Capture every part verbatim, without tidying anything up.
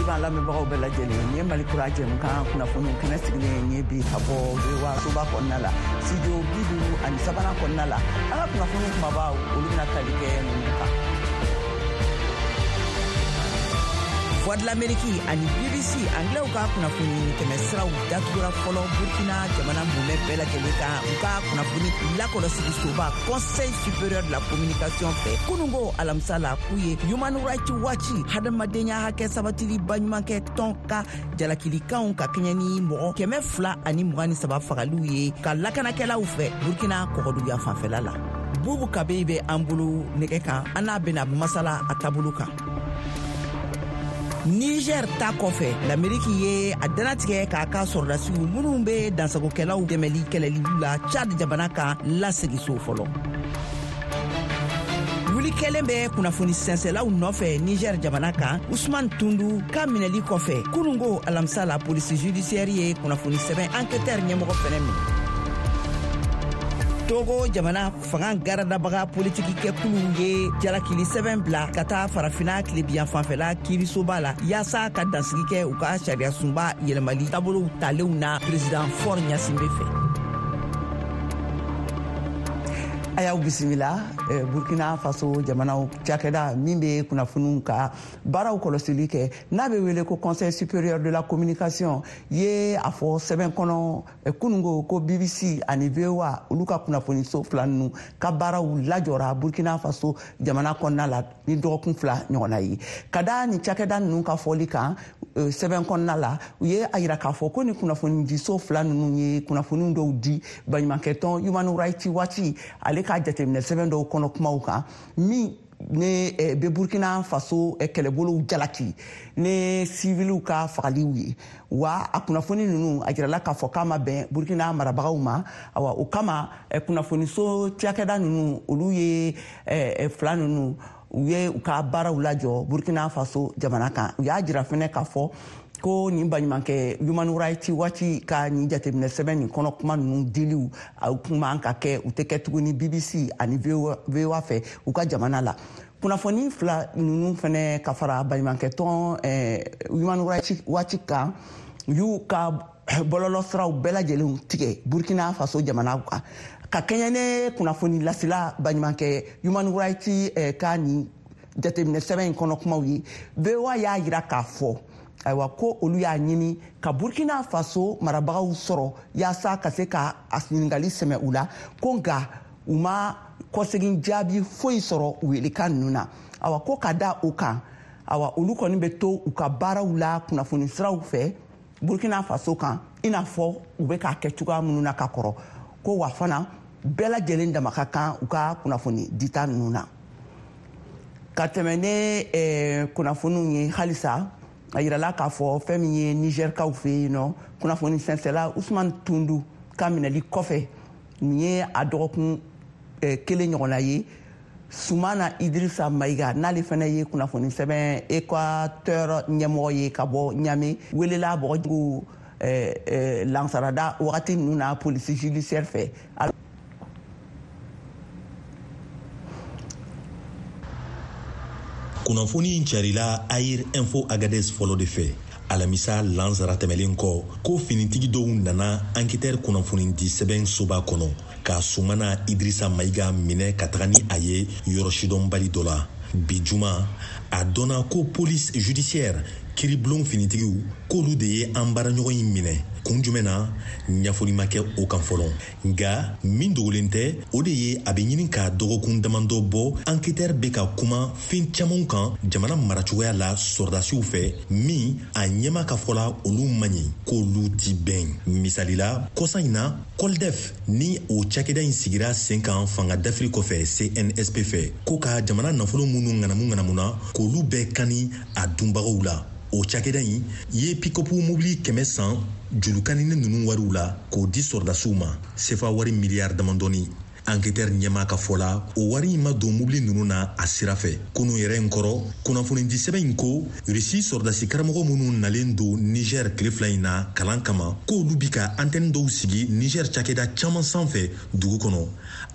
B'an lamɛnbagaw bɛɛ lajɛlen, nin ye Mali Kura jɛmukan kunnafoniw kɛnɛ sigilen ye bi ka bɔ V O A soba kɔnɔna la, studio bi duuru ani sabanan kɔnɔna la. An ka kunnafoniw kumabaw, olu bɛna tali kɛ ninnu kan: Voix de l'Amérique ani B B C anglais ka kunnafoni tɛmɛsiraw datugura fɔlɔ Burkina jamana mumɛ bɛɛ lajɛlen kan, u ka kunnafoni lakɔlɔsili soba Conseil supérieur de la communication fɛ kunungo alamisa la, k'u ye Human Rights Watch, hadamadenya hakɛ sabatili baɲumankɛ tɔn ka jalakilikanw ka kɛɲɛ ni mɔgɔ kɛmɛ fila ani mugan ni saba fagaliw ye ka lakanakɛlaw fɛ Burkina kɔgɔduguya fanfɛla la. Bubu Kabeyi bɛ an bolo nɛgɛ kan, an n'a bɛna masala a taabolo kan. Niger ta kɔfɛ, Lameriki ye a danatigɛ k'a ka sɔrɔdasiw minnu bɛ dansagokɛlaw dɛmɛli kɛlɛliw la Chad jamana kan lasegi so fɔlɔ. Wuli kɛlen bɛ kunnafoni sɛnsɛlaw nɔfɛ Niger jamana kan, Usman Tundu ka minɛli kɔfɛ kunungo alamisa la, polisi judiciaire ye kunnafoni sɛbɛn Enquêteur ɲɛmɔgɔ fɛnɛ minɛ. Togo jamana fanga garadabaga politikikɛkuluw ye jalakili sɛbɛn bila ka taa Farafina tilebiyan fanfɛla kiirisoba la yaasa ka dansigi kɛ u ka sariyasunba yɛlɛmali taabolow talenw na président Faure Gnassingbé fɛ. A y'aw bisimila. eh, Burkina Faso jamanaw cakɛda min bɛ kunnafoniw ka baaraw kɔlɔsili kɛ, n'a bɛ wele ko Conseil supérieur de la communication, ye a fɔ sɛbɛn kɔnɔ eh, kunungo ko B B C ani V O A, olu ka kunnafoniso fila ninnu ka baaraw lajɔra Burkina Faso jamana kɔnɔna la ni dɔgɔkun fila ɲɔgɔnna ye. Ka da nin cakɛda ninnu ka fɔli kan eh, sɛbɛn kɔnɔna la, u ye a yira k'a fɔ ko ni kunnafonidiso fila ninnu ye kunnafoniw dɔw di baɲumankɛtɔn Human Rights Watch ale ka jateminɛ sɛbɛn dɔw kɔnɔ kumaw kan min ne eh, bɛ Burkina Faso eh, kɛlɛbolow jalaki ne siviliw ka fagaliw ye. Wa a kunnafoni ninnu, a jirala k'a fɔ k'a ma bɛn Burkina marabagaw ma. Awa, o kama eh, kunnafoniso cakɛda ninnu, olu ye fila ninnu, u ye u ka baaraw lajɔ Burkina Faso jamana kan. U y'a jira fɛnɛ k'a fɔ ko nin baɲumankɛ Human Rights Watch ka nin jateminɛ sɛbɛn nin kɔnɔ kuma ninnu diliw a kun man ka kɛ, u tɛ kɛ tuguni B B C ani V O A fɛ u ka jamana la. Kunnafoni fila ninnu fɛnɛ, ka fara baɲumankɛ tɔn Human Rights Watch kan, u y'u ka bɔlɔlɔ siraw bɛɛ lajɛlen tigɛ Burkina Faso jamana kan ka kɛɲɛ ne kunnafoni lasela baɲumankɛ Human Rights ka nin jateminɛ sɛbɛn in kɔnɔ kumaw ye. V O A y'a yira k'a fɔ ayiwa ko olu y'a ɲini ka Burkina Faso marabagaw sɔrɔ yaasa ka se ka a ɲininkali sɛmɛ u la, ko nka u ma kɔsegin jaabi foyi sɔrɔ u welekan ninnu na. Awa, ko ka da o kan, awa, olu kɔni bɛ to u ka baaraw la kunnafoni siraw fɛ Burkina Faso kan, i n'a fɔ u bɛ k'a kɛ cogoya minnu na ka kɔrɔ. Ko wa fana bɛɛ lajɛlen dama ka kan u ka kunnafoni dita ninnu na. Ka tɛmɛ ne eh, kunnafoniw ye halisa, a yirala k'a fɔ fɛn min ye Nizɛrikaw fɛ yen nɔ, kunnafoni sɛnsɛla Usman Tundu ka minɛli kɔfɛ, nin ye a dɔgɔkun eh, kelen ɲɔgɔnna ye, Sumana Idrisa Mayiga, n'ale fana ye kunnafoni sɛbɛn Équateur ɲɛmɔgɔ ye ka bɔ Ɲame, welela bɔgɔjugu eh, eh, lansarada wagati ninnu na polisi judiciaire fɛ. Kunnafoni in carila Air Info Agades fɔlɔ de fɛ alamisa lansara tɛmɛlen kɔ, ko finitigi dɔw nana Enquêteur kunnafonidi sɛbɛn soba kɔnɔ ka Sumana Idrisa Mayiga minɛ ka taga ni a ye yɔrɔ sidɔnbali dɔ la. Bi juma, a dɔnna ko police judiciaire, kiribulon finitigiw, k'olu de ye an baaraɲɔgɔn in minɛ. Kun jumɛn na, ɲɛfɔli ma kɛ o kan fɔlɔ. Nga min dogolen tɛ, o de ye a bɛ ɲini ka dɔgɔkun damadɔ bɔ, Enquêteur bɛ ka kuma fɛn camanw kan jamana maracogoya la sɔrɔdasiw fɛ, min a ɲɛma ka fɔ la, olu man ɲi, k'olu ti bɛn. Misali la, kɔsa in na, Coldef ni o cakɛda in sigira sen kan fanga dafiri kɔfɛ C N S P fɛ, ko ka jamana nafolo minnu ŋanamu ŋanamuna, k'olu bɛɛ kani a dunbagaw la, o cakɛda in ye pick-up mobili kɛmɛ san julukanini ninnu wariw la k'o di sɔrɔdasiw ma, sefa wari miliyari damadɔni. Enquêteur ɲɛmaa ka fɔ la, o wari in ma don mobili ninnu na a sira fɛ. Kunu yɛrɛ in kɔrɔ, kunnafonidi sɛbɛn in ko Rusi sɔrɔdasi karamɔgɔ minnu nalen don Niger tile fila in na kalan kama, k'olu bi ka antenne dɔw sigi Niger cakɛda caman sanfɛ dugu kɔnɔ.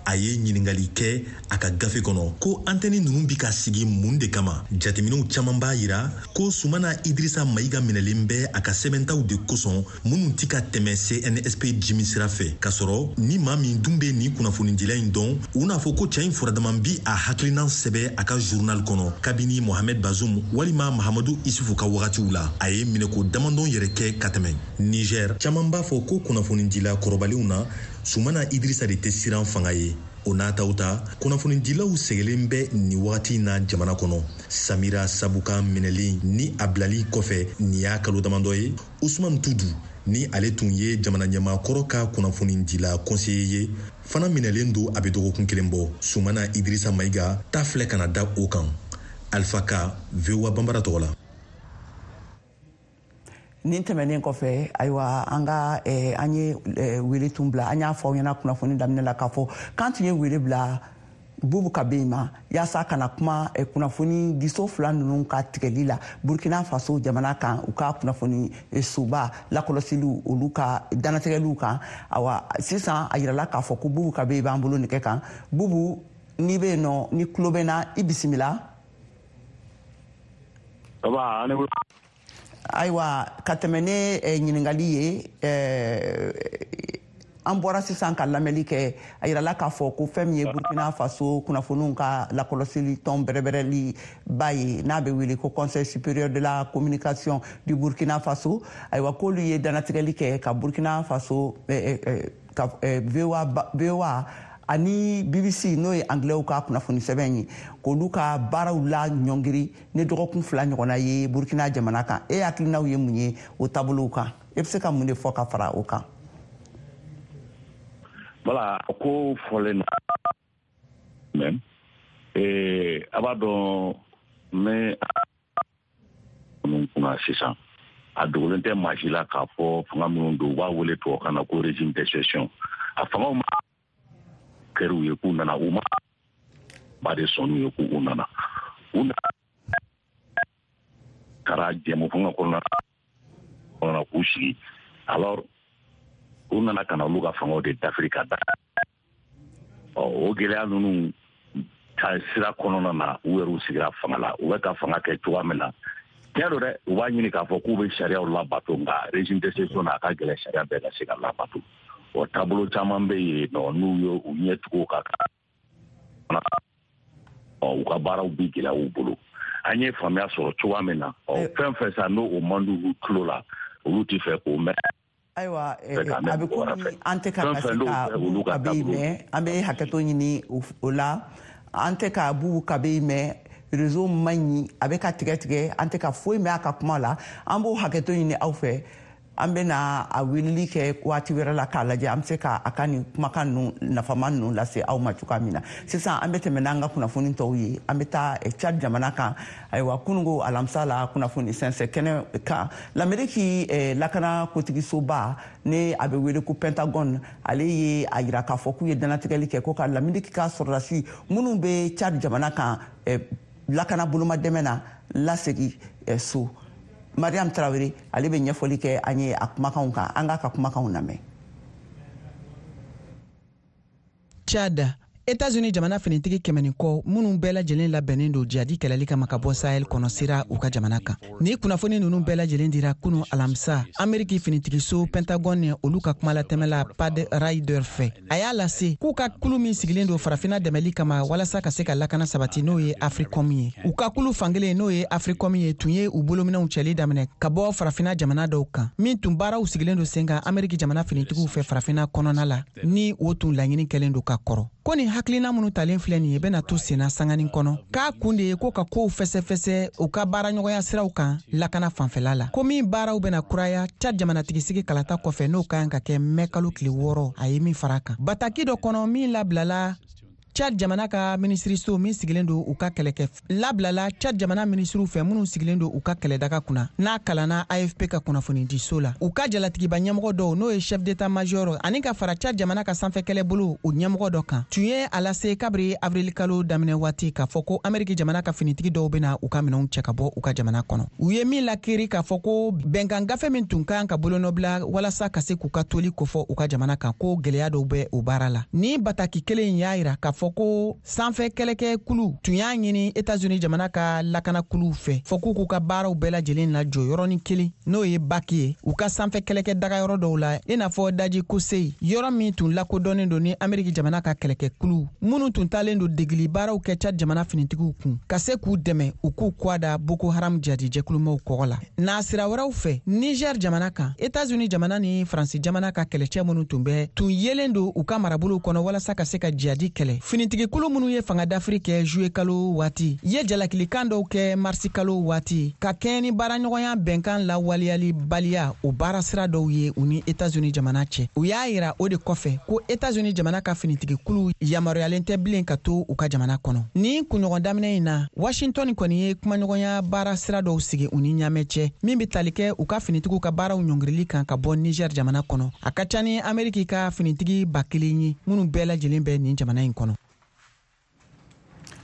A ye ɲininkali kɛ a ka gafe kɔnɔ ko antenne ninnu bi ka sigi mun de kama. Jateminɛw caman b'a yira ko Sumana Idrissa Maïga minɛlen bɛ a ka sɛbɛntaw de kosɔn minnu ti ka tɛmɛ C N S P jimi sira fɛ, k'a sɔrɔ ni maa min dun bɛ nin kunnafonidila in dɔn, u n'a fɔ ko cɛ in furadama bi a hakilinan sɛbɛ a ka journal kɔnɔ kabini Mohamed Bazoum walima Mahamadou Issoufou ka wagatiw la. A ye minɛko damadɔn yɛrɛ kɛ ka tɛmɛ. Niger caman b'a fɔ ko kunnafonidila kɔrɔbalenw na, Sumana Idrissa de tɛ siran fanga ye. O n'a taw ta, kunnafonidilaw sɛgɛlen bɛ nin wagati in na jamana kɔnɔ. Samira Sabuka minɛlen ni a bilali kɔfɛ nin y'a kalo damadɔ ye, Usman Tudu ni ale tun ye jamana ɲɛmaakɔrɔ ka kunnafonidila conseiller ye fana minɛlen don a bɛ dɔgɔkun kelen bɔ. Sumana Idrissa Maïga ta filɛ ka na da o kan. Alpha Ka, V O A Bambara tɔgɔ la. Nin tɛmɛnen kɔfɛ, ayiwa, an ka eh, an ye eh, wele tun bila, an y'a fɔ aw ɲɛna kunnafoni daminɛ la k'a fɔ k'an tun ye wele bila Bubu Kabe ma yaasa ka na kuma eh, kunnafoni diso fila ninnu ka tigɛli la Burkina Faso jamana kan, u ka kunnafoni soba lakɔlɔsiliw olu ka dannatigɛliw kan. Awa, sisan a yirala k'a fɔ ko Bubu Kabe b'an bolo nɛgɛ kan. Bubu, n'i bɛ yen nɔ, ni tulo bɛ na, i bisimila. Ayiwa, ka tɛmɛ ne ɲininkali ye, an bɔra sisan ka lamɛnli kɛ, a yirala k'a fɔ ko fɛn min ye Burkina Faso kunnafoniw ka lakɔlɔsili tɔn bɛrɛbɛrɛli ba ye, n'a bɛ wele ko Conseil supérieur de la communication du Burkina Faso, ayiwa, k'olu ye dannatigɛli kɛ ka Burkina Faso ka V O A ani B B C, n'o ye anglais ka kunnafoni sɛbɛn ye, k'olu ka baaraw la ɲɔngiri ni dɔgɔkun fila ɲɔgɔnna ye Burkina jamana kan. E hakilinaw ye mun ye o taabolow kan? E bɛ se ka mun de fɔ ka fara o kan? Voilà, ko fɔlen na même eh, a b'a dɔn ne minnu kunna sisan, a dogolen tɛ maa si la k'a fɔ fanga minnu don, u b'a wele tubabukan na ko régime d'exception. A fangaw ma kɛr'u ye k'u nana, u ma ba de sɔnn'u ye k'u nana, u nana taara jɛmu fanga kɔnɔna kɔnɔna k'u sigi. Alors u nana ka na olu ka fangaw de dafiri ka da. Ɔ, o gɛlɛya ninnu ta sira kɔnɔna na, u yɛrɛw sigira fanga la, u bɛ ka fanga kɛ cogoya min na, tiɲɛ don dɛ, u b'a ɲini k'a fɔ k'u bɛ sariyaw labato, nka régime d'exception na, a ka gɛlɛn sariya bɛɛ ka se ka labato. O taabolo caman bɛ yen nɔ, n'u ye u ɲɛ tugu ka ɔ, u ka baaraw bi gɛlɛya u bolo. An ye faamuya sɔrɔ cogoya min na, ɔ, fɛn fɛn sa n'o o man di u tulo la, olu tɛ fɛ k'o mɛn. Ayiwa, a bɛ komi an tɛ ka se ka Bubu Kabe mɛn, an bɛ hakɛto ɲini o la, an tɛ ka Bubu Kabe mɛn, réseau man ɲi, a bɛ ka tigɛ tigɛ, an tɛ ka foyi mɛn a ka kuma la. An b'o hakɛto ɲini aw fɛ. An bɛna a weleli kɛ waati wɛrɛ la k'a lajɛ an bɛ se ka a ka nin kumakan ninnu nafama ninnu lase aw ma cogoya min na. Sisan an bɛ tɛmɛ n'an ka kunnafoni tɔw ye. An bɛ taa Tchad jamana kan. Ayiwa, kununko alamisa la, kunnafoni sɛnsɛn kɛnɛ kan, Lameriki lakana kotigisoba, ni a bɛ wele ko Pentagone, ale ye a yira k'a fɔ k'u ye dannatigɛli kɛ ko ka Lameriki ka sɔrɔdasi minnu bɛ Tchad jamana kan lakana bolomadɛmɛ na lasegin so. Mariam Traoré ale bɛ ɲɛfɔli kɛ an ye a kumakanw kan, an k'a ka kumakanw lamɛn. Tchad, États-Unis jamana finitigi kɛmɛ ni kɔ minnu bɛɛ lajɛlen labɛnnen don jihadi kɛlɛli kama ka bɔ Sahel kɔnɔ sera u ka jamana kan. Ni kunnafoni ninnu bɛɛ lajɛlen dira kunu alamisa Ameriki finitigiso Pentagone olu ka kumalatɛmɛla Pat Ryder fɛ. A y'a lase k'u ka kulu min sigilen don farafinna dɛmɛli kama walasa ka se ka lakana sabati, n'o ye Africom ye. U ka kulu fankelen, n'o ye Africom ye, tun ye u bolominɛw cɛli daminɛ ka bɔ farafinna jamana dɔw kan, min tun baaraw sigilen don sen kan Ameriki jamana finitigiw fɛ farafinna kɔnɔna la, ni o tun laɲini kɛlen don ka kɔrɔ. Ko nin hakilina minnu talen filɛ nin ye bɛna to senna sanganin kɔnɔ, k'a kun de ye ko ka kow fɛsɛfɛsɛ u ka baaraɲɔgɔnya siraw kan lakana fanfɛla la, ko min baaraw bɛna kuraya Tchad jamanatigisigi kalata kɔfɛ, n'o ka kan ka kɛ mɛ kalo tile wɔɔrɔ. A ye min fara kan bataki dɔ kɔnɔ min labilala Tchad jamana ka minisiriso min sigilen don u ka kɛlɛkɛ labilala Tchad jamana minisiriw fɛ minnu sigilen don u ka kɛlɛdaga kunna, n'a kalanna A F P ka kunnafonidiso la. U ka jalatigiba ɲɛmɔgɔ dɔw, n'o ye chef d'état-major ani ka fara Tchad jamana ka sanfɛ kɛlɛbolo o ɲɛmɔgɔ dɔ kan, tun ye a lase kabiri avril kalo daminɛ waati k'a fɔ ko Ameriki jamana ka finitigi dɔw bɛna u ka minɛnw cɛ ka bɔ u ka jamana kɔnɔ. U ye min lakiri k'a fɔ ko bɛnkan gafe min tun kan ka bolonɔbila walasa ka se k'u ka toli kofɔ u ka jamana kan, ko gɛlɛya dɔw bɛ o baara la. Ni bataki kelen in y'a yira k'a fɔ ko sanfɛ kɛlɛkɛkulu tun y'a ɲini États-Unis jamana ka lakanakuluw fɛ fɔ k'u k'u ka baaraw bɛɛ lajɛlen lajɔ yɔrɔnin kelen, n'o ye baki ye, u ka sanfɛ kɛlɛkɛ dagayɔrɔ dɔw la, i n'a fɔ daji Koseyi, yɔrɔ min tun lakodɔnnen don ni Ameriki jamana ka kɛlɛkɛkulu minnu tun taalen don degeli baaraw kɛ Tchad jamana finitigiw kun ka se k'u dɛmɛ u k'u kɔ da Boko Haram jihadi jɛkulumaw kɔgɔ la. N'a sira wɛrɛw fɛ, Niger jamana kan, États-Unis jamana ni Faransi jamana ka kɛlɛcɛ minnu tun bɛ tun yelen don u ka marabolow kɔnɔ walasa ka se ka jihadi kɛlɛ, finitigikulu minnu ye fanga dafiri kɛ juillet kalo waati ye jalakilikan dɔw kɛ marisi kalo waati ka kɛɲɛ ni baaraɲɔgɔnya bɛnkan lawaleyali baliya o baara sira dɔw ye u ni États-Unis jamana cɛ. U y'a yira o de kɔfɛ ko États-Unis jamana ka finitigikulu yamaruyalen tɛ bilen ka to u ka jamana kɔnɔ. Ni kunɲɔgɔn daminɛ in na, Washington kɔni ye kumaɲɔgɔnya baara sira dɔw sigi u ni ɲaamɛ cɛ min bɛ tali kɛ u ka finitigiw ka baaraw ɲɔngirili kan ka bɔ Niger jamana kɔnɔ. A ka ca ni Ameriki ka finitigi ba kelen ye minnu bɛɛ lajɛlen bɛ nin jamana in kɔnɔ.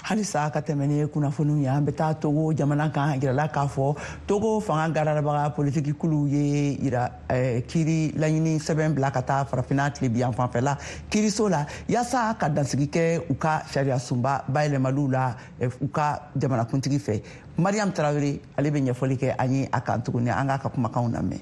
Halisa ka tɛmɛ ni kunnafoniw ye, an bɛ taa Togo jamana kan. Yirala k'a fɔ Togo fanga gararabaga politiki kulu ye yira kiiri laɲini sɛbɛn bila ka taa farafinna tilebiyan fanfɛla kiiriso la yaasa ka dansigi kɛ u ka sariya sunba bayɛlɛmaliw la u ka jamanakuntigi fɛ. Mariam Traoré ale bɛ ɲɛfɔli kɛ an ye a kan tuguni, an k'a ka kumakanw lamɛn.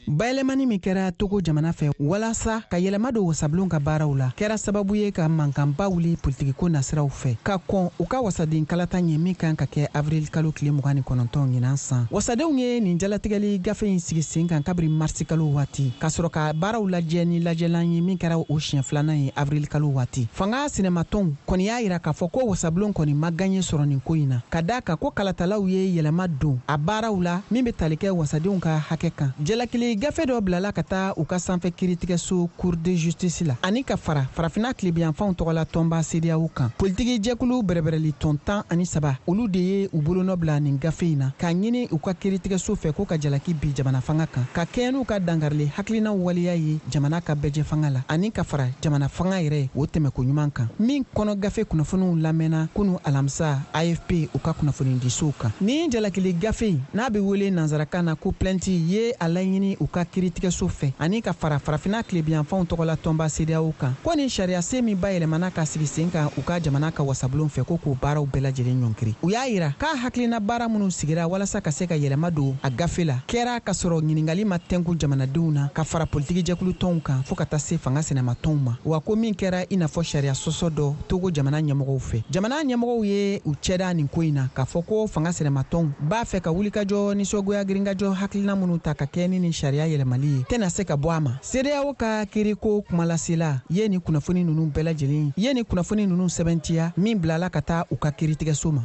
Bayɛlɛmani min kɛra Togo jamana fɛ walasa ka yɛlɛma don wasabulon ka baaraw la kɛra sababu ye ka mankanba wuli politikiko nasiraw fɛ ka kɔn u ka wasaden kalata ɲɛ min kan ka kɛ avril kalo tile mugan ni kɔnɔntɔn ɲinan san. Wasadenw ye nin jalatigɛli gafe in sigi sen kan kabiri marisi kalo waati ka sɔrɔ ka baaraw lajɛ ni lajɛlan ye min kɛra o siɲɛ filanan ye avril kalo waati. Fanga sinɛmatɔnw kɔni y'a yira k'a fɔ ko wasabulon kɔni ma gaɲɛ sɔrɔ nin ko in na, ka d'a kan ko kalatalaw ye yɛlɛma don a baaraw la min bɛ tali kɛ wasadenw ka hakɛ kan. Jalakili gafe dɔ bilala ka taa u ka sanfɛ kiiritigɛso Cour de justice la ani ka fara farafinna tilebiyanfanw tɔgɔla tɔnba CEDEAO kan. Politiki jɛkulu bɛrɛbɛrɛli tɔn tan ani saba olu de ye u bolonɔ bila nin gafe in na k'a ɲini u ka kiiritigɛso fɛ ko ka jalaki bi jamana fanga kan ka kɛɲɛ n'u ka dankarili hakilinaw waleya ye jamana ka bɛɛjɛ fanga la ani ka fara jamana fanga yɛrɛ o tɛmɛko ɲuman kan, min kɔnɔ gafe kunnafoniw lamɛnna kunu alamisa A F P u ka kunnafonidisow kan. Ni jalakili gafe in n'a bɛ wele nansarakan na ko plainte ye a laɲini u ka kiiritigɛso fɛ ani ka fara farafinna tilebiyanfanw tɔgɔla tɔnba CEDEAO kan ko ni sariya sen min bayɛlɛmana ka sigi sen kan u ka jamana ka wasabulon fɛ ko k'o baaraw bɛɛ lajɛlen ɲɔnkiri. U y'a yira k'a hakilina baara minnu sigira walasa ka se ka yɛlɛma don a gafe la kɛra ka sɔrɔ ɲiningali ma tɛnku jamanadenw na ka fara politiki jɛkulu tɔnw kan fɔɔ ka taa se fanga sɛnɛmatɔnw ma, wa ko min kɛra i n'a fɔ sariya sɔsɔ dɔ Togo jamana ɲɛmɔgɔw fɛ. Jamana ɲɛmɔgɔw ye u cɛda nin ko in na k'a fɔ ko fanga sɛnɛmatɔnw b'a fɛ ka wulikajɔ nisɔngoya girinkajɔ hakilina minnu ta ka kɛ ni ni sariya yɛlɛmali ye tɛna se ka bɔ a ma. CEDEAO ka kiiriko kumalasela ye nin kunnafoni ninnu bɛɛ lajɛlen ye nin kunnafoni ninnu sɛbɛntiya min bilala ka taa u ka kiiritigɛso ma.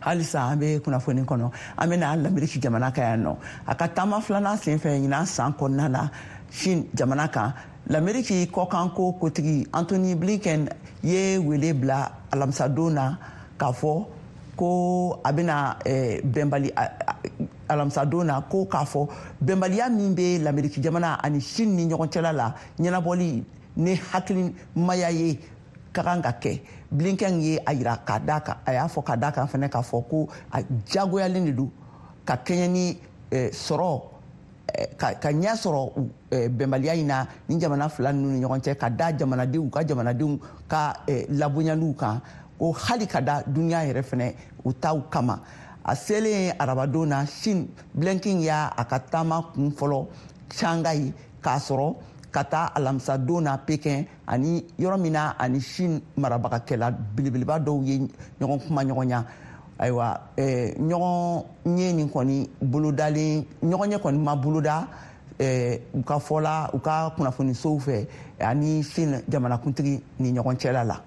Halisa an bɛ kunnafoni kɔnɔ, an bɛna Lameriki jamana kan yan nɔ. A ka taama filanan senfɛ ɲinan san kɔnɔna la Chine jamana kan, Lameriki kɔkanko kotigi Antony Blinken ye wele bila alamisadon na k'a fɔ ko a bɛna bɛnbali alamisadon na ko k'a fɔ bɛnbaliya min bɛ Lameriki jamana ani Chine ni ɲɔgɔn cɛla la ɲɛnabɔli ni hakilimaya ye ka kan ka kɛ. Blinken ye a yira k'a d'a kan, a y'a fɔ k'a d'a kan fɛnɛ k'a fɔ ko a jagoyalen de don ka kɛɲɛ ni sɔrɔ ka ka ɲɛ sɔrɔ bɛnbaliya in na ni jamana fila ninnu ni ɲɔgɔn cɛ, ka da jamanadenw ka jamanadenw ka labonyaliw kan, ko hali ka da duniya yɛrɛ fɛnɛ u taw kama. A selen arabadon na Chine, Blinken y'a a ka taama kun fɔlɔ Shanghai k'a sɔrɔ ka taa alamisadon na Pekin, ani yɔrɔ min na ani Chine marabagakɛla belebeleba dɔw ye ɲɔgɔn kuma ɲɔgɔnya. Ayiwa, ɲɔgɔn ɲɛ nin kɔni bolodalen ɲɔgɔn ɲɛ kɔni ma boloda u ka fɔ la u ka kunnafonisow fɛ ani Chine jamanakuntigi ni ɲɔgɔn cɛla la.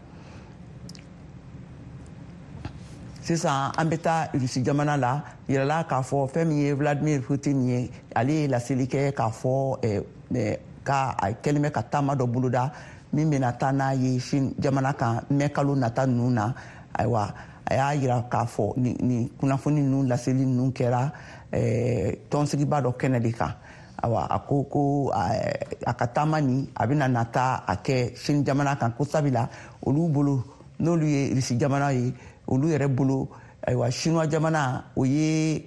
Sisan an bɛ taa Rusi jamana la, yirala k'a fɔ fɛn min ye Vladimir Putin ye, ale ye laseli kɛ k'a fɔ ka a kɛlen bɛ ka taama dɔ boloda min bɛna taa n'a ye Chine jamana kan mɛ kalo nata ninnu na. Ayiwa, a y'a yira k'a fɔ ni, ni kunnafoni ninnu laseli ninnu kɛra eh, tɔnsigiba dɔ kɛnɛ de kan. Awa, a ko ko a ka taama nin a bɛna nata a kɛ Chine jamana kan, ko sabula olu bolo, n'olu ye Irisi jamana ye, olu yɛrɛ bolo, ayiwa, Chinois jamana o ye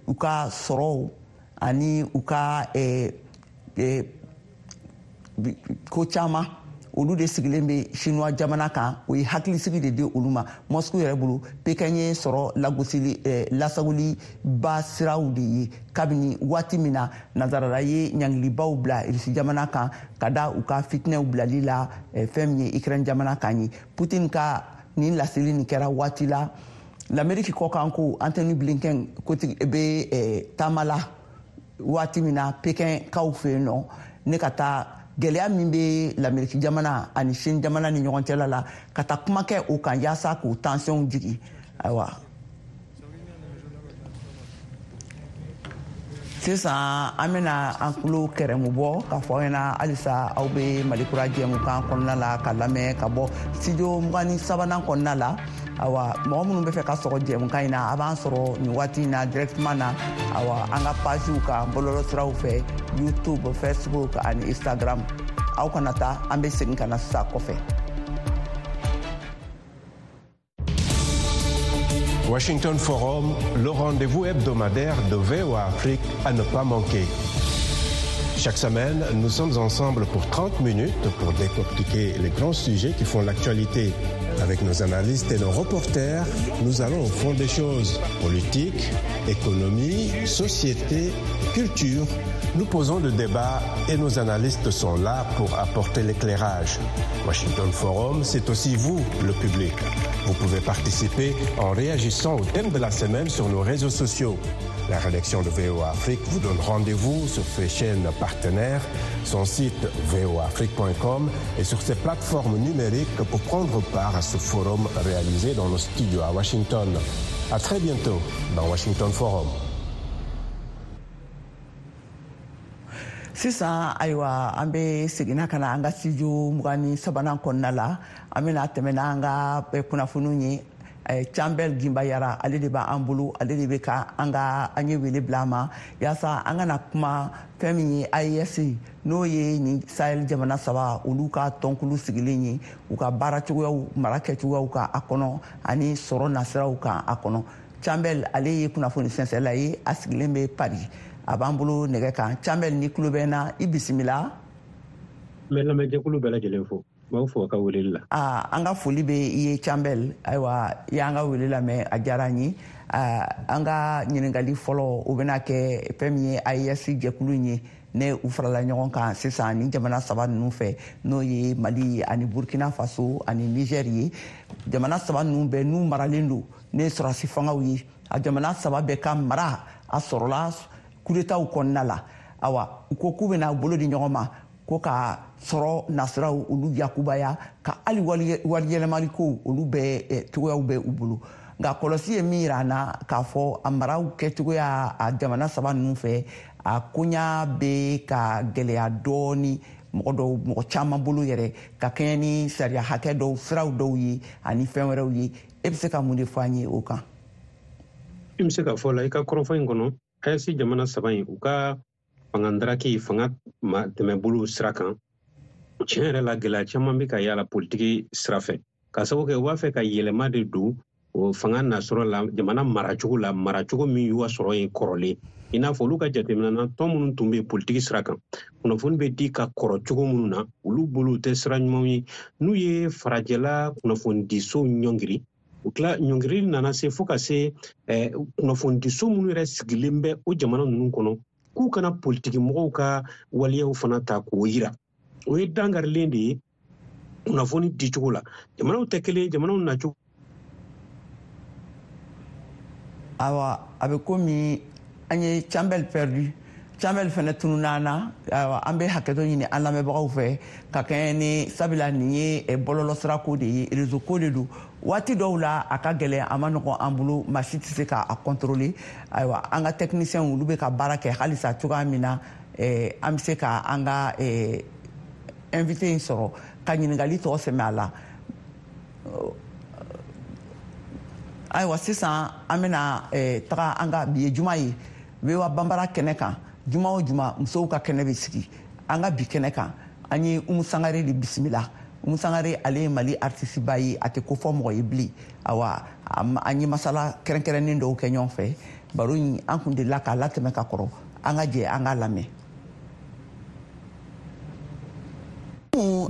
u ka sɔrɔw ani u ka eh, eh, ko caman, olu de sigilen bɛ Chinois jamana kan. O ye hakilisigi de di olu ma. Moscou yɛrɛ bolo, Pekin ye sɔrɔ lagosili eh, lasagoli ba siraw de ye kabini waati min na nansarala ye ɲangilibaw bila Irisi jamana kan ka da u ka fitinɛw bilali la eh, fɛn min ye Ukraine jamana kan ye. Putin ka nin laseli nin kɛra waati la l'Amérique kɔkan ko Antony Blinken kotigi bɛ eh, taama la waati min na Pekin kaw fɛ yen nɔ, ne ka taa gɛlɛya min bɛ l'Amérique jamana ani Chine jamana ni ɲɔgɔn cɛla la, ka taa kuma kɛ o kan yaasa k'o tension jigin. Ayiwa, sisan an bɛna an tulo kɛrɛmu bɔ k'a fɔ aw ɲɛna halisa aw bɛ Malikura jɛmukan kɔnɔna la ka lamɛn ka bɔ studio mugan ni sabanan kɔnɔna la. Awa, mɔgɔ minnu bɛ fɛ ka sɔgɔ jɛmukan in na, a b'an sɔrɔ nin waati in na directement na, awa, an ka pagew kan bɔlɔlɔsiraw fɛ, YouTube, Facebook ani Instagram. Aw kana taa, an bɛ segin ka na sisan kɔfɛ. Washington Forum, le rendez-vous hebdomadaire de V O A Afrique à ne pas manquer. Chaque semaine, nous sommes ensemble pour trente minutes pour décortiquer les grands sujets qui font l'actualité. Avec nos analystes et nos reporters, nous allons au fond des choses. Politique, économie, société, culture. Nous posons le débat et nos analystes sont là pour apporter l'éclairage. Washington Forum, c'est aussi vous, le public. Vous pouvez participer en réagissant au thème de la semaine sur nos réseaux sociaux. La rédaction de V O A Afrique vous donne rendez-vous sur ses chaînes partenaires, son site v o a afrique point com et sur ses plateformes numériques pour prendre part à ce forum réalisé dans nos studios à Washington. À très bientôt dans Washington Forum. Sisan, ayiwa, an bɛ seginna ka na an ka studio mugan ni sabanan kɔnɔna la. An bɛna tɛmɛ n'an ka kunnafoniw ye. Cambel Gimbayara, ale de b'an bolo, ale de bɛ ka an ka an ye wele bila a ma yaasa an kana kuma fɛn min ye A E S, n'o ye nin Sahel jamana saba olu ka tɔnkulu sigilen ye, u ka baara cogoyaw, mara kɛcogoyaw kan a kɔnɔ ani sɔrɔ nasiraw kan a kɔnɔ. Cambel, ale ye kunnafoni sɛnsɛnla ye, a sigilen bɛ Paris, a b'an bolo nɛgɛ kan. Cambel, ni tulo bɛ n na, i bisimila. N bɛ lamɛnjɛkulu bɛɛ lajɛlen fo. B'aw fo ka weleli la. Aa, an ka foli bɛ i ye Cambel. Ayiwa, i y'an ka wele lamɛn, a diyara an ye. An ka ɲininkali fɔlɔ, o bɛna kɛ fɛn min ye A E S jɛkulu in ye, ne u farala ɲɔgɔn kan sisan ni jamana saba ninnu fɛ, n'o ye Mali ani Burkina Faso ani Niger ye. Jamana saba ninnu bɛɛ n'u maralen don ne sɔrɔdasi fangaw ye. A jamana saba bɛɛ ka mara a sɔrɔla coup d'état kɔnɔna la. Awa, u ko k'u bɛna bolo di ɲɔgɔn ma ko ka sɔrɔ nasiraw olu yakubaya, ka hali waliyɛlɛmali kow olu bɛɛ cogoyaw bɛ u bolo. Nka kɔlɔsi ye min yira an na k'a fɔ a maraw kɛcogoya a jamana saba ninnu fɛ, a koɲa bɛ ka gɛlɛya dɔɔni mɔgɔ dɔw, mɔgɔ caman bolo yɛrɛ, ka kɛɲɛ ni sariya hakɛ dɔw, siraw dɔw ye ani fɛn wɛrɛw ye. E bɛ se ka mun de fɔ an ye o kan? I bɛ se ka fɔ la i ka kɔrɔfɔ in kɔnɔ, A E S jamana saba in, u ka fanga ndaraki, fanga tɛmɛbolo sira kan, tiɲɛ yɛrɛ la gɛlɛya caman bɛ ka y'a la politiki sira fɛ, k'a sababu kɛ u b'a fɛ ka yɛlɛma de don o fanga nasɔrɔ la, jamana maracogo la, maracogo min y'u ka sɔrɔ ye kɔrɔlen. I n'a fɔ olu ka jateminɛ na, tɔn minnu tun bɛ politiki sira kan, kunnafoni bɛ di ka kɔrɔ cogo minnu na, olu bolo tɛ sira ɲumanw ye. N'u ye farajɛla kunnafonidisow ɲɔngiri, o tila ɲɔngirili nana se fo ka se kunnafonidiso minnu yɛrɛ sigilen bɛ o jamana ninnu kɔnɔ, k'u kana politiki mɔgɔw ka waleyaw fana ta k'o yira. O ye dankarilen de ye kunnafoni dicogo la. Jamanaw tɛ kelen, jamanaw nacogo. Awa, a bɛ komi an ye Cambel perdu. Cambel fɛnɛ tununna an na. Ayiwa, an bɛ hakɛto ɲini an lamɛnbagaw fɛ ka kɛɲɛ ni sabula nin ye bɔlɔlɔsira ko de ye, réseau ko de don. Waati dɔw la a ka gɛlɛn, a ma nɔgɔn an bolo, maa si tɛ se k'a contrôler. Ayiwa, an ka techniciens olu bɛ ka baara kɛ halisa cogoya min na, eh, an bɛ se ka an ka eh, invité in sɔrɔ ka ɲininkali tɔ sɛmɛ a la. Ayiwa, sisan an bɛna eh, taga an ka bi ye juma ye, V O A Banbara kɛnɛ kan. Juma o juma, musow ka kɛnɛ bɛ sigi. An ka bi kɛnɛ kan, an ye Umu Sangare de bisimila. Umu Sangare, ale ye Mali artiste ba ye, a tɛ ko fɔ mɔgɔ ye bilen. Awa, an ye masala kɛrɛnkɛrɛnnen dɔw kɛ ɲɔgɔn fɛ. Baro in, an kun delila k'a latɛmɛ ka kɔrɔ. An ka jɛ an k'a lamɛn.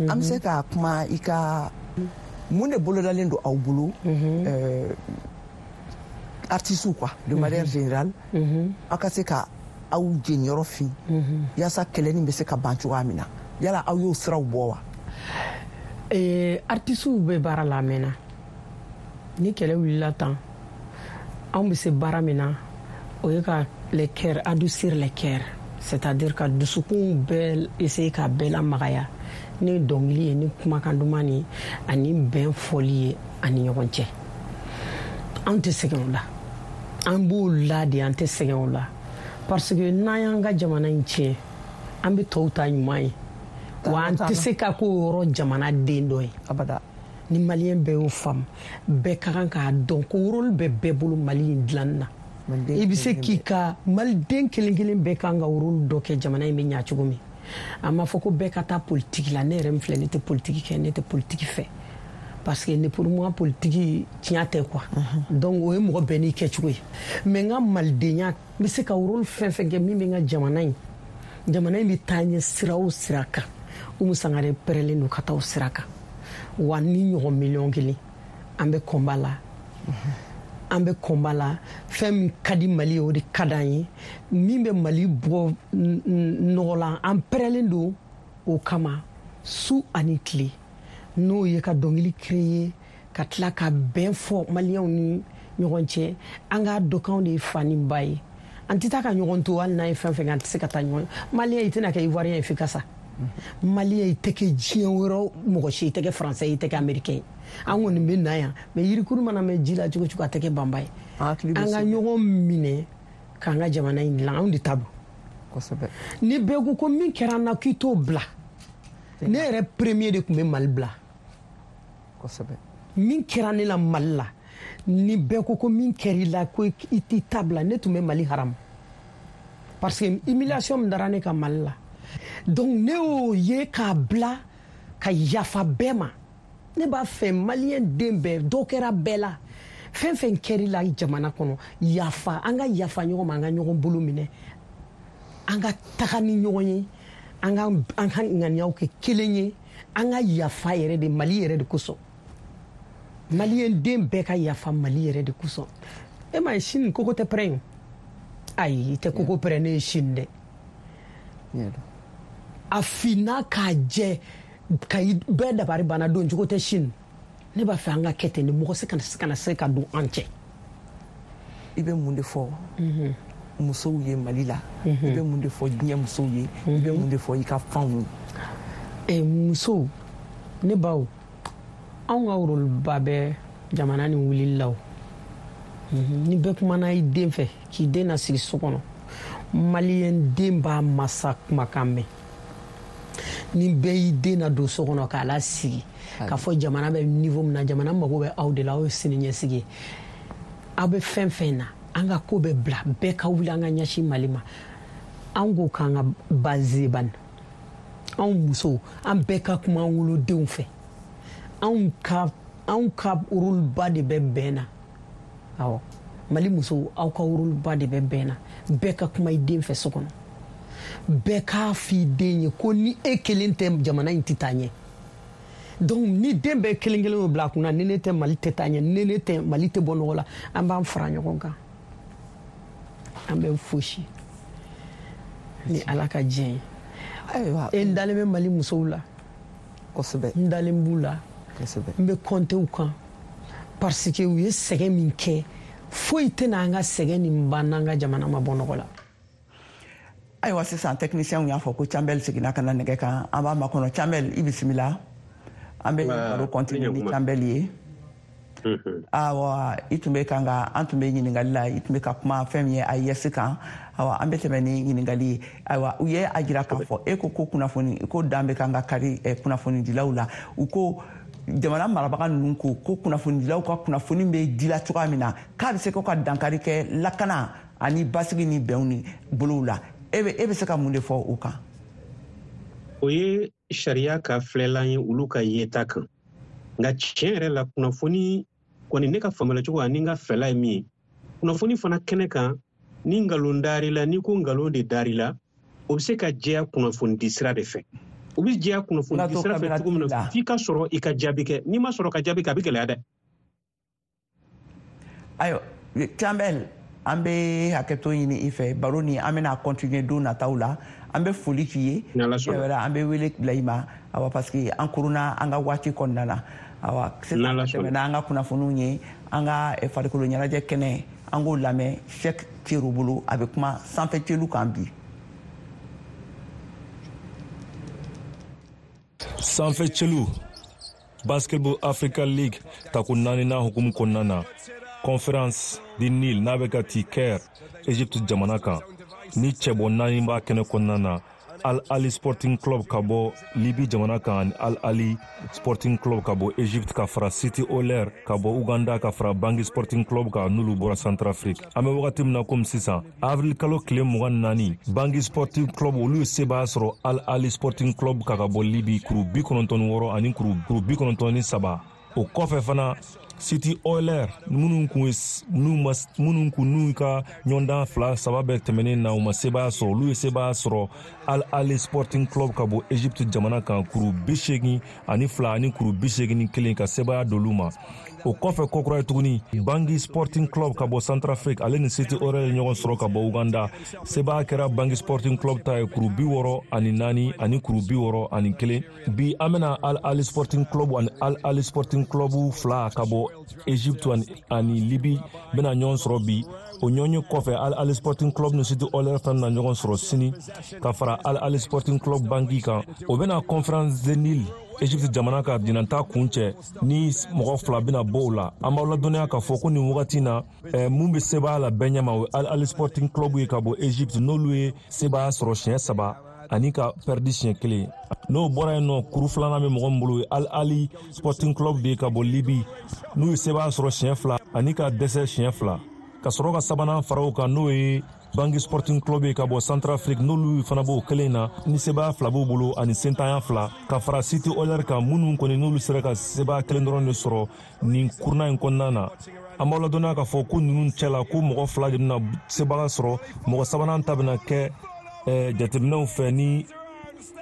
An bɛ se ka kuma i ka mun de bolodalen don aw bolo, artistes quoi, de manière générale, aw ka se ka aw jeniyɔrɔ fin yaasa kɛlɛ nin bɛ se ka ban cogoya min na? Yala aw y'o siraw bɔ wa? Artistes bɛ baara la a mɛnna. Ni kɛlɛ wulila tan, anw bɛ se baara min na, o ye ka les cœurs adoucir, les cœurs, c'est-à-dire ka dusukun bɛɛ essayer ka bɛɛ lamagaya ni dɔnkili ye, ni kumakan duman ni ani bɛn fɔli ye ani ɲɔgɔn cɛ. An tɛ sɛgɛn o la, an b'o la de, an tɛ sɛgɛn o la, parce que n'an y'an ka jamana in tiɲɛ, an bɛ tɔw ta ɲuman ye wa an tɛ se ka k'o yɔrɔ jamana den dɔ ye abada. Ni maliyɛn bɛɛ y'o faamu, bɛɛ ka kan k'a dɔn ko rôle bɛ bɛɛ bolo Mali in dilanni na. I bɛ se k'i ka maliden kelen kelen bɛɛ kan ka rôle dɔ kɛ jamana in bɛ ɲa cogo min. A ma fɔ ko bɛɛ ka taa politiki la. Ne yɛrɛ min filɛ, ne tɛ politiki kɛ, ne tɛ politiki fɛ, parce que ne, pour moi, politiki tiɲɛ tɛ quoi. Donc o ye mɔgɔ bɛɛ n'i kɛcogo ye. Mais n ka malidenya, n bɛ se ka rôle fɛn fɛn kɛ min bɛ n ka jamana in jamana in bɛ taa ɲɛ sira o sira kan, Umu Sangare pɛrɛlen don ka taa o sira kan. Wa ni ɲɔgɔn miliyɔn kelen, an bɛ combat la, an bɛ combat la. Fɛn min ka di Mali ye, o de ka d'an ye. Min bɛ Mali bɔ nɔgɔ la, an pɛrɛlen don o kama su ani tile. N'o ye ka dɔnkili créer, ka tila ka bɛn fɔ maliyɛnw ni ɲɔgɔn cɛ. An k'a dɔn k'anw de ye fa ni ba ye, an tɛ taa ka ɲɔgɔn to. Hali n'an ye fɛn fɛn kɛ, an tɛ se ka taa ɲɔgɔn. Maliyɛn, i tɛna kɛ Ivoirien ye f'i ka sa. Maliyɛn, i tɛ kɛ diɲɛ wɛrɛ mɔgɔ si, i tɛ kɛ Français ye, i tɛ kɛ Américain ye. An kɔni bɛ na yan, mais yirikuru mana mɛn ji la cogo cogo, a tɛ kɛ banba ye. An ka ɲɔgɔn minɛ k'an ka jamana in dilan, anw de ta don. Ni bɛɛ ko ko min kɛra an na k'i t'o bila, ne yɛrɛ premier de tun bɛ Mali bila. Min kɛra ne la Mali la, ni bɛɛ ko ko min kɛra i la ko i t'i ta bila, ne tun bɛ Mali haramu, parce que humiliation min dara ne kan Mali la. Donc ne y'o ye k'a bila ka yafa bɛɛ ma. Ne b'a fɛ maliyɛn den bɛɛ, dɔ kɛra bɛɛ la, fɛn fɛn kɛr'i la jamana kɔnɔ, yafa. An ka yafa ɲɔgɔn ma, an ka ɲɔgɔn bolo minɛ, an ka taga ni ɲɔgɔn ye, an ka an ka ŋaniyaw kɛ kelen ye. An ka yafa yɛrɛ de Mali yɛrɛ de kosɔn. Maliyɛn den bɛɛ ka yafa Mali yɛrɛ de kosɔn. E ma ye, sini koko tɛ pɛrɛn? Ayi, i tɛ koko pɛrɛn. Ne ye sini dɛ, a finna k'a jɛ ka bɛɛ dabari banna, don cogo tɛ sini. Ne b'a fɛ an ka kɛ ten de, mɔgɔ se kana se kana se ka don an cɛ. I bɛ mun de fɔ musow ye Mali la? I bɛ mun de fɔ diɲɛ musow ye? I bɛ mun de fɔ i ka fanw ye? Musow, ne baw, anw ka rôle ba bɛ jamana ni wulili la. O ni bɛɛ kumana i den fɛ k'i den nasigi so kɔnɔ, maliyɛn den b'a masa kumakan mɛn. Ni bɛɛ y'i den na don so kɔnɔ k'a lasigi k'a fɔ jamana bɛ niveau min na, jamana mago bɛ aw de la, aw ye sini ɲɛsigi ye, aw bɛ fɛn fɛn na, an ka ko bɛ bila, bɛɛ ka wuli, an ka ɲɛsin Mali ma. An ko k'an ka base ban, anw musow, an bɛɛ ka kuma an wolodenw fɛ. Anw ka anw ka rôle ba de bɛ bɛn na. Awɔ, Mali musow, aw ka rôle ba de bɛ bɛn na. Bɛɛ ka kuma i den fɛ so kɔnɔ, bɛɛ k'a f'i den ye ko ni e kelen tɛ, jamana in tɛ taa ɲɛ. Donc ni den bɛɛ kelen kelen y'o bila a kunna, ni ne tɛ, Mali tɛ taa ɲɛ, ni ne tɛ, Mali tɛ bɔ nɔgɔ la, an b'an fara ɲɔgɔn kan, an bɛ fosi ni Ala ka diɲɛ ye. E, n dalen bɛ Mali musow la. Kosɛbɛ. N dalen b'u la. N bɛ compter u kan, parce que u ye sɛgɛn min kɛ, foyi tɛna an ka sɛgɛn nin ban n'an ka jamana ma bɔ nɔgɔ la. Ayiwa, sisan technicien y'a fɔ ko Cambel seginna ka na nɛgɛ kan. An b'a makɔnɔ. Cambel, i bisimila. An bɛ baro continuer ni Cambel ye. Awa, i tun bɛ kan ka, an tun bɛ ɲininkali la, i tun bɛ ka kuma fɛn min ye A E S kan. Awa, an bɛ tɛmɛ ni ɲininkali ye. Ayiwa, u ye a jira k'a fɔ e ko ko kunnafoni ko dan bɛ kan ka kari kunnafonidilaw la. U ko jamana marabaga ninnu ko ko kunnafonidilaw ka kunnafoni bɛ dila cogoya min na, k'a bɛ se ko ka dankari kɛ lakana ani basigi ni bɛnw ni bolow la. E bɛ e bɛ se ka mun de fɔ o kan? O ye sariya ka filɛlan ye olu ka yeta kan. Nka tiɲɛ yɛrɛ la, kunnafoni kɔni, ne ka faamuyali cogo ani n ka fɛla ye min ye, kunnafoni fana kɛnɛ kan, ni nkalon dar'i la, n'i ko nkalon de dar'i la, o bɛ se ka jɛya kunnafoni di sira de fɛ. O bɛ jɛya kunnafoni di sira fɛ cogo min na, f'i ka sɔrɔ i ka jaabi kɛ. N'i ma sɔrɔ ka jaabi kɛ, a bɛ gɛlɛya dɛ. Ayiwa, Campbell, an bɛ hakɛto ɲini i fɛ. Baro ni an bɛna continuer don nataw la. An bɛ foli k'i ye, an bɛ wele bila i ma. Awa, parce que an koronna an ka waati kɔnɔna na. Awa, sisan tɛmɛna an ka kunnafoniw ye, an ka farikolo ɲɛnajɛ kɛnɛ, an k'o lamɛn Cheikh Cero bolo. A bɛ kuma sanfɛ celu kan bi. Sanfɛ celu Basketball Africa League tako naaninan hukumu kɔnɔna na, Conférence du Nil n'a bɛ ka ti Caire, Egypte jamana kan, ni cɛbɔ naani b'a kɛnɛ kɔnɔna na: Al Ali Sporting Club ka bɔ Libi jamana kan, ani Al Ali Sporting Club ka bɔ Egypte, ka fara City Oilers ka bɔ Uganda, ka fara Bangi Sporting Club kan, n'olu bɔra Centrafrique. An bɛ wagati min na komi sisan, avril kalo tile mugan naani, Bangi Sporting Club olu ye sebaaya sɔrɔ Al Ali Sporting Club kan ka bɔ Libi, kuru bi kɔnɔntɔn ni wɔɔrɔ ani kuru kuru bi kɔnɔntɔn ni saba. O kɔfɛ fana, City Oilers minnu kun n'u ma minnu kun n'u ka ɲɔgɔndan fila saba bɛɛ tɛmɛnen na, u ma sebaaya sɔrɔ, olu ye sebaaya sɔrɔ Al Ali Sporting Club ka bɔ Egypte jamana kan, kuru bi seegin ani fila ani kuru bi seegin ni kelen, ka sebaaya d'olu ma. O kɔfɛ kɔkura ye tuguni, Bangi Sporting Club ka bɔ Centrafrique, ale ni City Oilers ye ɲɔgɔn sɔrɔ ka bɔ Uganda. Sebaaya kɛra Bangi Sporting Club ta ye, kuru bi wɔɔrɔ ani naani ani kuru bi wɔɔrɔ ani kelen. Bi an bɛna Al Ali Sporting Club ani Al Ali Sporting Club fila ka bɔ Egypte ani, ani Libi bɛna ɲɔgɔn sɔrɔ bi. O ɲɔgɔn ye kɔfɛ, Al Ali Sporting Club ni City Oilers fana bɛna ɲɔgɔn sɔrɔ sini, ka fara Al Ali Sporting Club Bangi kan. O bɛna Conférence de Nil Egypte jamana ka ɲinanta kun cɛ, ni mɔgɔ fila bɛna bɔ o la. An b'aw ladɔnniya k'a fɔ ko nin wagati na, eh, mun bɛ sebaaya la bɛɛ ɲɛma, o ye Al Ali Sporting Club ye ka bɔ Egypte, n'olu ye sebaaya sɔrɔ siɲɛ saba ani ka pɛridi siɲɛ kelen. N'o bɔra yen nɔ, kuru filanan bɛ mɔgɔ min bolo, ye Al Ali Sporting Club de ye ka bɔ Libi, n'u ye sebaaya sɔrɔ siɲɛ fila ani ka dɛsɛ siɲɛ fila. Ka sɔrɔ ka sabanan fara o kan, n'o ye Bangi Sporting Club ye ka bɔ Centrafrique, n'olu fana b'o kelen na, ni sebaaya fila b'u bolo ani sentanya fila, ka fara City Oilers kan, minnu kɔni n'olu sera ka sebaaya kelen dɔrɔn de sɔrɔ nin kuruna in kɔnɔna na. An b'aw ladɔnniya k'a fɔ ko ninnu cɛla, ko mɔgɔ fila de bɛna sebaaya sɔrɔ, mɔgɔ sabanan ta bɛna kɛ eh, jateminɛw fɛ ni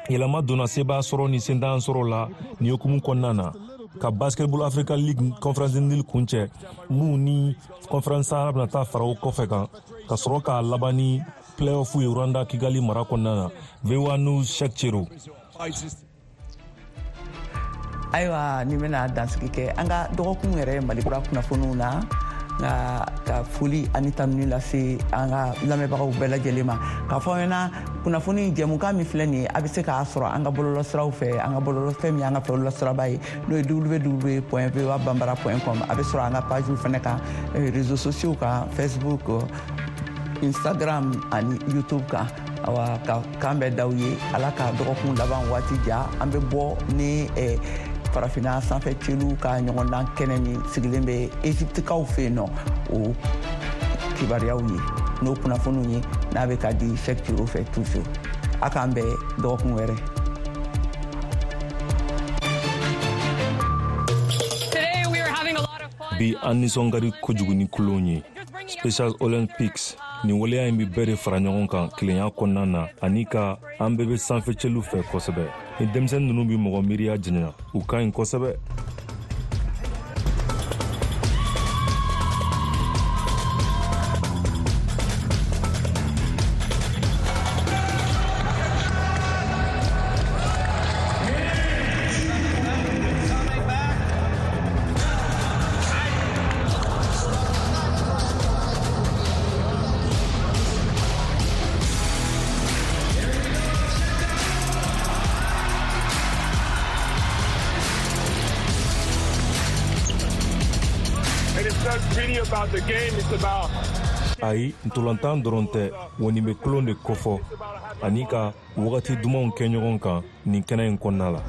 yɛlɛma donna sebaaya sɔrɔ ni sentanya sɔrɔ la nin hukumu kɔnɔna na, ka Basketball Africa League Conference Nil kuncɛ, mun ni Conférence Sahara bɛna taa fara o kɔfɛ kan, ka sɔrɔ k'a laban ni playoff ye Rwanda Kigali mara kɔnɔna na. V O A News, Cheikh Cero. Ayiwa, ni bɛna dansigi kɛ an ka dɔgɔkun yɛrɛ Mali kura kunnafoniw na, nka ka foli ani tanuni lase an ka lamɛnbagaw bɛɛ lajɛlen ma, k'a fɔ aw ɲɛna kunnafoni jɛmukan min filɛ nin ye, a bɛ se k'a sɔrɔ an ka bɔlɔlɔsiraw fɛ. An ka bɔlɔlɔ fɛn min y'an ka bɔlɔlɔsiraba ye, n'o ye w w w point voa bambara point com. A bɛ sɔrɔ an ka pagew fɛnɛ kan, réseaux sociaux kan, Facebook, Instagram ani YouTube kan. Awa, ka kan bɛɛ d'aw ye. Ala ka dɔgɔkun laban waati ja. An bɛ bɔ ni eh, farafinna sanfɛ celu ka ɲɔgɔndan kɛnɛ min sigilen bɛ Egyptekaw fɛ yen nɔ, o kibaruyaw ye n'o kunnafoniw ye, n'a bɛ ka di Cheikh Cero fɛ toujours. A k'an bɛn dɔgɔkun wɛrɛ. Bi an nisɔn ka di kojugu ni kulon ye. Special Olympics nin waleya in bɛ bɛɛ de fara ɲɔgɔn kan kelenya kɔnɔna na, ani ka an bɛɛ bɛ sanfɛ celu fɛ kosɛbɛ. Ni denmisɛnnin ninnu bɛ mɔgɔ miiriya janya, u ka ɲi kosɛbɛ. About the game, it's about Ayi, ntolantan dɔrɔn tɛ, wa nin bɛ tulon de kofɔ ani ka wagati dumanw kɛ ɲɔgɔn kan nin kɛnɛ in kɔnɔna la.